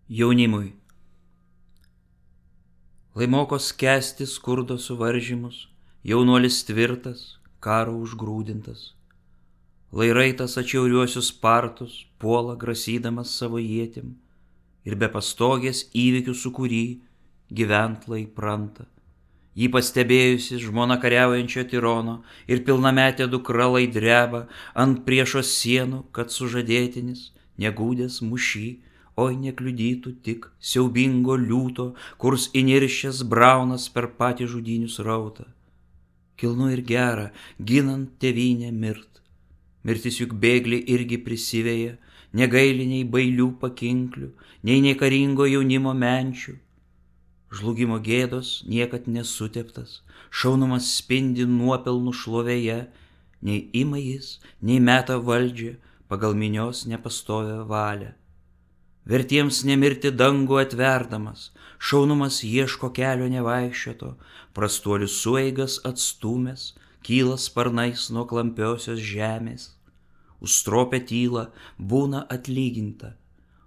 Jaunimui. Lai moko skęsti skurdo suvaržymus, jaunuolis tvirtas, karo užgrūdintas. Lai raitas atšiauriuosius partus puola grasydamas savo ietim ir be pastogės įvykių sukūry gyvent lai pranta. Jį pastebėjusi žmona kariaujančio tirono ir pilnametė dukra lai dreba ant priešo sienų, kad sužadėtinis, negūdęs mušy, oi nekliudytų tik siaubingo liūto, kurs įniršęs braunas per patį žudynių srautą. Kilnu ir gera, ginant tėvynę mirt. Mirtis juk bėglį irgi prisiveja, negaili nei bailių pakinklių, nei karingo jaunimo menčių. Žlugimo gėdos niekad nesuteptas, šaunumas spindi nuopelnų šlovėje, nei ima jis, nei meta valdžią pagal minios nepastovę valią. Vertiems nemirti dangų atverdamas, šaunumas ieško kelio nevaikščioto, prastuolių sueigas atstūmęs, kyla sparnais nuo klampiosios žemės. Užstropę tylą būna atlyginta,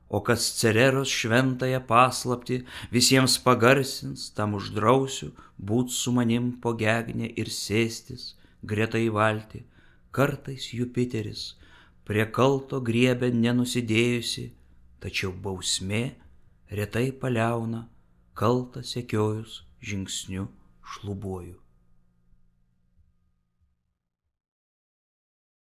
o kas Cereros šventąją paslaptį visiems pagarsins, tam uždrausiu būt su manim po gegnę ir sėstis greta į valtį. Kartais Jupiteris prie kalto griebia nenusidėjusi, tačiau bausmė retai paliauna kaltą sekiojus žingsniu šlubuoju.